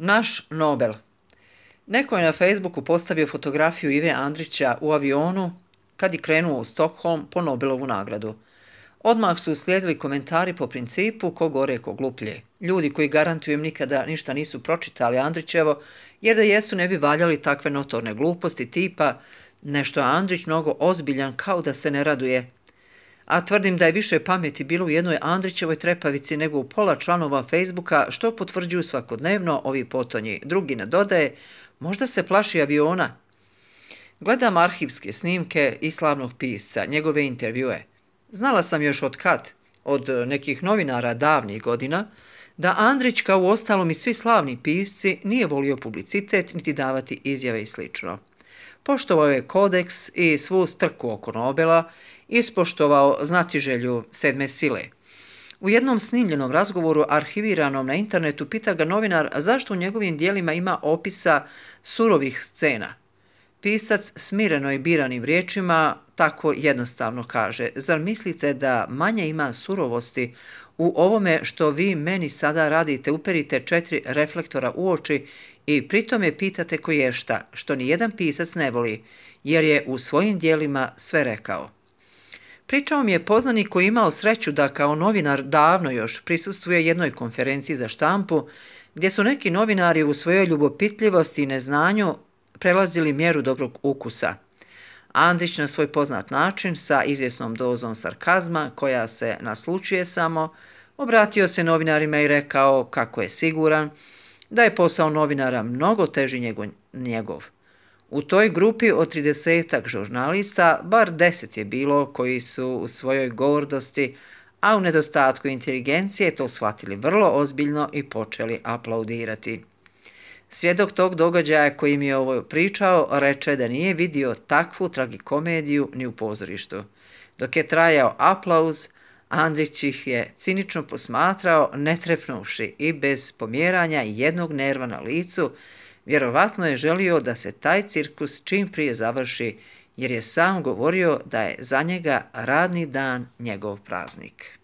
Naš Nobel. Neko je na Facebooku postavio fotografiju Ive Andrića u avionu kad je krenuo u Stockholm po Nobelovu nagradu. Odmah su uslijedili komentari po principu ko gore ko gluplje. Ljudi koji garantujem nikada ništa nisu pročitali Andrićevo, jer da jesu ne bi valjali takve notorne gluposti tipa nešto je Andrić mnogo ozbiljan kao da se ne raduje. A tvrdim da je više pameti bilo u jednoj Andrićevoj trepavici nego u pola članova Facebooka, što potvrđuju svakodnevno ovi potonji. Drugi nadodaje, možda se plaši aviona. Gledam arhivske snimke i slavnog pisca, njegove intervjue. Znala sam još od kad, od nekih novinara davnih godina, da Andrić, kao u ostalom i svi slavni pisci, nije volio publicitet niti davati izjave i slično. Poštovao je kodeks i svu strku oko Nobela, ispoštovao znatiželju sedme sile. U jednom snimljenom razgovoru arhiviranom na internetu pita ga novinar zašto u njegovim dijelima ima opisa surovih scena. Pisac smireno i biranim riječima tako jednostavno kaže, zar mislite da manje ima surovosti u ovome što vi meni sada radite, uperite 4 reflektora u oči i pritome pitate koješta, što ni jedan pisac ne voli, jer je u svojim dijelima sve rekao. Pričao mi je poznanik koji je imao sreću da kao novinar davno još prisustvuje jednoj konferenciji za štampu, gdje su neki novinari u svojoj ljubopitljivosti i neznanju prelazili mjeru dobrog ukusa. Andrić na svoj poznat način, sa izvjesnom dozom sarkazma, koja se naslučuje samo, obratio se novinarima i rekao kako je siguran da je posao novinara mnogo teži nego njegov. U toj grupi od 30-ak žurnalista bar 10 je bilo koji su u svojoj gordosti, a u nedostatku inteligencije to shvatili vrlo ozbiljno i počeli aplaudirati. Svjedok tog događaja koji mi je ovo pričao reče da nije vidio takvu tragikomediju ni u pozorištu. Dok je trajao aplauz, Andrić ih je cinično posmatrao, ne trepnuvši i bez pomjeranja jednog nerva na licu. Vjerovatno je želio da se taj cirkus čim prije završi, jer je sam govorio da je za njega radni dan njegov praznik.